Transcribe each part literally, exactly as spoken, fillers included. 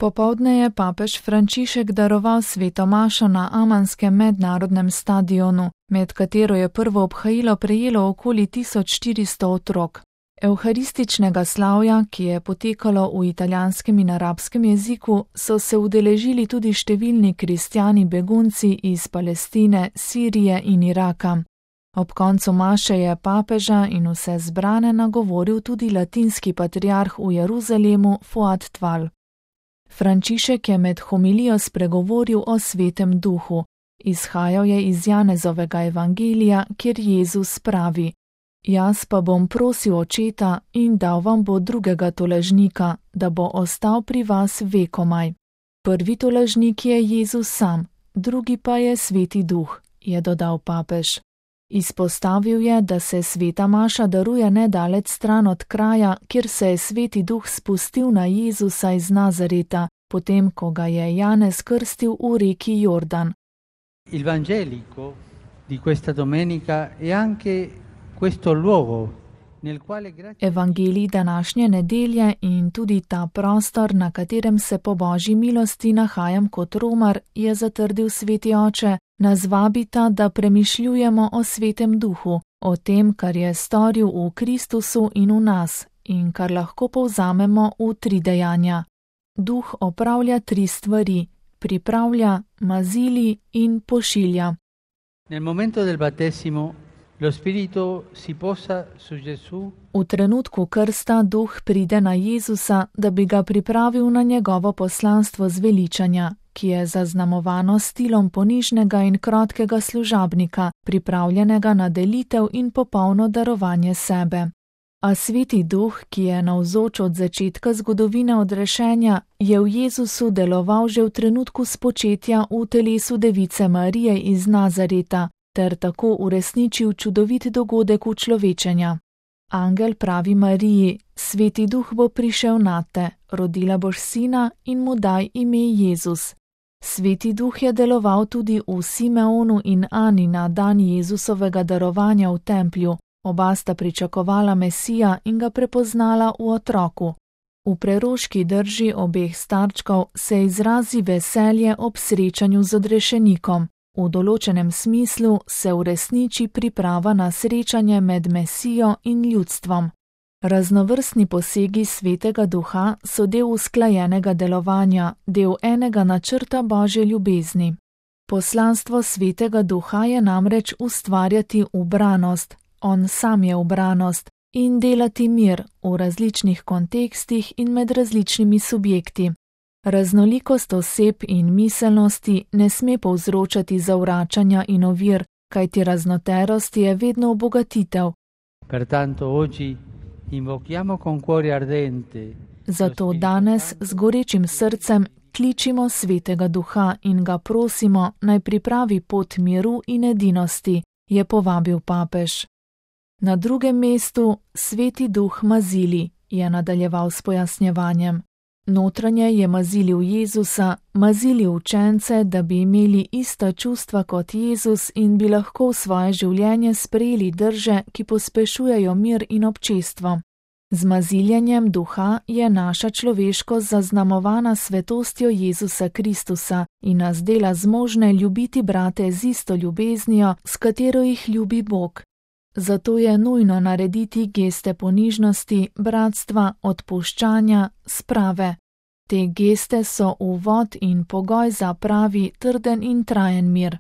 Popoldne je papež Frančišek daroval sveto mašo na amanskem mednarodnem stadionu, med katero je prvo obhajilo prejelo okoli tisoč štiristo otrok. Evharističnega slavja, ki je potekalo v italijanskem in arabskem jeziku, so se udeležili tudi številni kristjani begunci iz Palestine, Sirije in Iraka. Ob koncu maše je papeža in vse zbrane nagovoril tudi latinski patriarh v Jeruzalemu Fuad Tval. Frančišek je med homilijo spregovoril o svetem duhu. Izhajal je iz Janezovega evangelija, kjer Jezus pravi: Jaz pa bom prosil očeta in dal vam bo drugega tolažnika, da bo ostal pri vas vekomaj. Prvi tolažnik je Jezus sam, drugi pa je sveti duh, je dodal papež. Izpostavil je, da se sveta maša daruje nedaleč stran od kraja, kjer se je sveti duh spustil na Jezusa iz Nazareta, potem ko ga je Janez krstil v reki Jordan. Il Vangelico di questa domenica è anche questo luogo nel quale grazie Evangelij današnje nedelje in tudi ta prostor, na katerem se po Božji milosti nahajam kot romar, je zatrdil sveti oče, nas vabita, da premišljujemo o svetem duhu, o tem, kar je storil v Kristusu in v nas in kar lahko povzamemo v tri dejanja. Duh opravlja tri stvari: pripravlja, mazili in pošilja. Nel momento del battesimo lo spirito si posa su Gesù. V trenutku krsta duh pride na Jezusa, da bi ga pripravil na njegovo poslanstvo zveličanja, ki je zaznamovano stilom ponižnega in krotkega služabnika, pripravljenega na delitev in popolno darovanje sebe. A sveti duh, ki je navzoč od začetka zgodovine odrešenja, je v Jezusu deloval že v trenutku spočetja v telesu device Marije iz Nazareta, ter tako uresničil čudovit dogodek učlovečenja. Angel pravi Mariji: Sveti duh bo prišel nate, rodila boš sina in mu daj ime Jezus. Sveti duh je deloval tudi v Simeonu in Ani na dan Jezusovega darovanja v templju. Oba sta pričakovala Mesija in ga prepoznala v otroku. V preroški drži obeh starčkov se izrazi veselje ob srečanju z odrešenikom. V določenem smislu se uresniči priprava na srečanje med Mesijo in ljudstvom. Raznovrstni posegi svetega duha so del usklajenega delovanja, del enega načrta Božje ljubezni. Poslanstvo svetega duha je namreč ustvarjati ubranost, on sam je ubranost, in delati mir v različnih kontekstih in med različnimi subjekti. Raznolikost oseb in miselnosti ne sme povzročati zavračanja in ovir, kajti raznoterost je vedno obogatitev. Pertanto oggi invochiamo con cuore ardente. Zato danes z gorečim srcem kličimo svetega duha in ga prosimo, naj pripravi pot miru in edinosti, je povabil papež. Na drugem mestu sveti duh mazili, je nadaljeval s pojasnjevanjem. Notranje je mazilil Jezusa, mazili učence, da bi imeli ista čustva kot Jezus in bi lahko v svoje življenje sprejeli drže, ki pospešujejo mir in občestvo. Z maziljenjem duha je naša človeškost zaznamovana svetostjo Jezusa Kristusa in nas dela zmožne ljubiti brate z isto ljubeznijo, s katero jih ljubi Bog. Zato je nujno narediti geste ponižnosti, bratstva, odpuščanja, sprave. Te geste so uvod in pogoj za pravi, trden in trajen mir.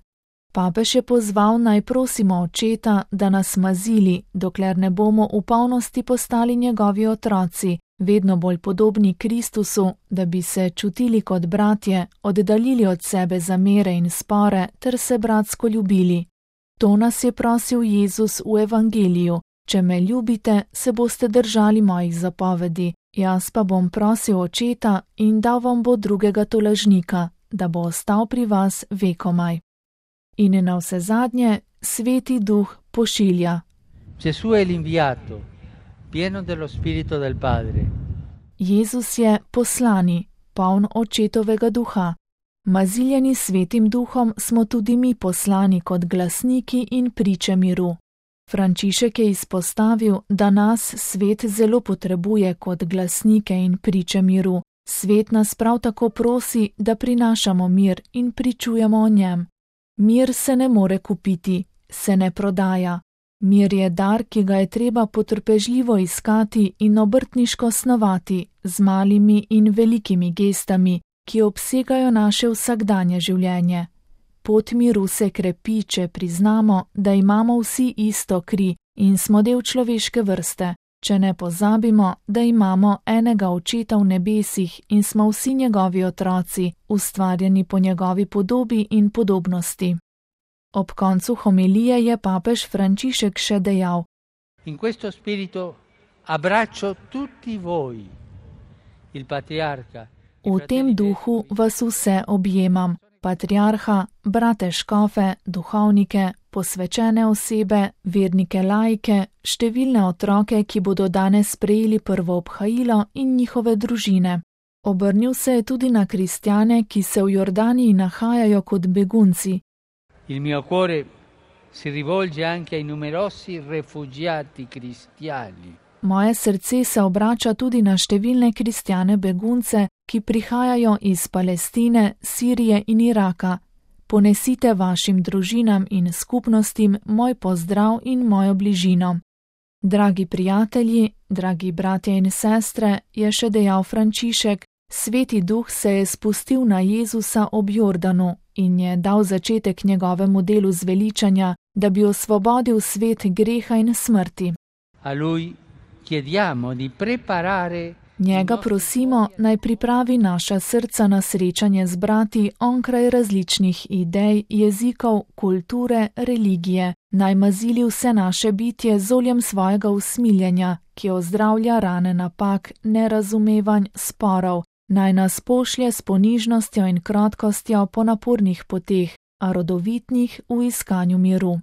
Papež je pozval, naj prosimo očeta, da nas mazili, dokler ne bomo v polnosti postali njegovi otroci, vedno bolj podobni Kristusu, da bi se čutili kot bratje, oddaljili od sebe zamere in spore ter se bratsko ljubili. To nas je prosil Jezus v evangeliju: če me ljubite, se boste držali mojih zapovedi, jaz pa bom prosil očeta in dal vam bo drugega tolažnika, da bo ostal pri vas vekomaj. In navsezadnje sveti duh pošilja. Gesù è l'inviato, pieno dello spirito del Padre. Jezus je poslani, poln očetovega duha. Maziljeni svetim duhom smo tudi mi poslani kot glasniki in priče miru. Frančišek je izpostavil, da nas svet zelo potrebuje kot glasnike in priče miru, Svet nas prav tako prosi, da prinašamo mir in pričujemo o njem. Mir se ne more kupiti, se ne prodaja. Mir je dar, ki ga je treba potrpežljivo iskati in obrtniško snovati z malimi in velikimi gestami, ki obsegajo naše vsakdanje življenje. Pot miru se krepi, če priznamo, da imamo vsi isto kri in smo del človeške vrste, če ne pozabimo, da imamo enega Očeta v nebesih in smo vsi njegovi otroci, ustvarjeni po njegovi podobi in podobnosti. Ob koncu homilije je papež Frančišek še dejal: In questo spirito abbraccio tutti voi, il patriarca. V tem duhu vas vse objemam, patriarha, brate škofe, duhovnike, posvečene osebe, vernike laike, številne otroke, ki bodo danes sprejeli prvo obhajilo in njihove družine. Obrnil se je tudi na kristjane, ki se v Jordaniji nahajajo kot begunci. Il mio cuore si rivolge anche ai numerosi rifugiati cristiani. Moje srce se obrača tudi na številne kristjane begunce, ki prihajajo iz Palestine, Sirije in Iraka. Ponesite vašim družinam in skupnostim moj pozdrav in mojo bližino. Dragi prijatelji, dragi bratje in sestre, je še dejal Frančišek, Sveti Duh se je spustil na Jezusa ob Jordanu in je dal začetek njegovemu delu zveličanja, da bi osvobodil svet greha in smrti. A lui chiediamo di preparare. Njega prosimo, naj pripravi naša srca na srečanje z brati onkraj različnih idej, jezikov, kulture, religije, naj mazili vse naše bitje z oljem svojega usmiljenja, ki ozdravlja rane napak, nerazumevanj, sporov, naj nas pošlje s ponižnostjo in krotkostjo po napornih poteh, a rodovitnih v iskanju miru.